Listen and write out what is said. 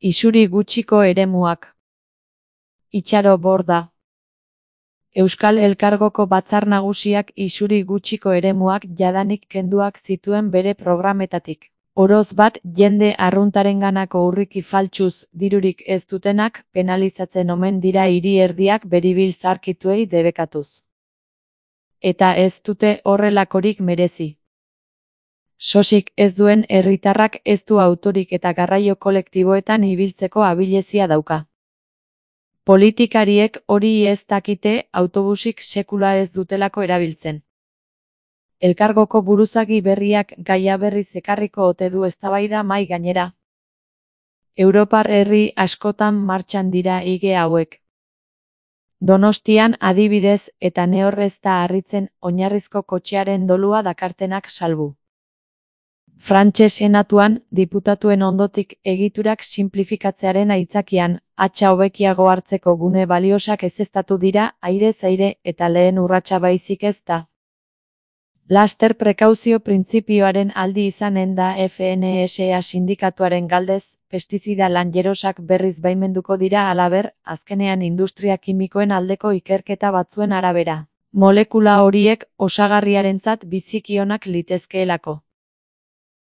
Isuri gutxiko eremuak. Itxaro Borda. Euskal Elkargoko Batzar Nagusiak isuri gutxiko eremuak jadanik kenduak zituen bere programetatik. Oroz bat, jende arruntarenganako urriki faltsuz dirurik ez dutenak penalizatzen omen dira hiri erdiak beribil zaharkituei debekatuz. Eta ez dute horrelakorik merezi. Sosik ez duen herritarrak ez du autorik eta garraio kolektiboetan ibiltzeko abilezia dauka. Politikariek hori ez dakite autobusik sekula ez dutelako erabiltzen. Elkargoko buruzagi berriak gaia berriz ekarriko ote du eztabaida mahai gainera. Europar herri askotan martxan dira hige hauek. Donostian adibidez eta nehor ez da harritzen oinarrizko kotxearen dolua dakartenak salbu. Frantses senatuan, diputatuen ondotik egiturak sinplifikatzearen aitzakian, hatza hobekiago hartzeko gune baliosak ezeztatu dira airez aire eta lehen urratsa baizik ez da. Laster prekauzio printzipioaren aldi izanen da FNSA sindikatuaren galdez, pestizida lanjerosak berriz baimenduko dira halaber, azkenean industria kimikoen aldeko ikerketa batzuen arabera. Molekula horiek osagarriarentzat biziki onak litezkeelako.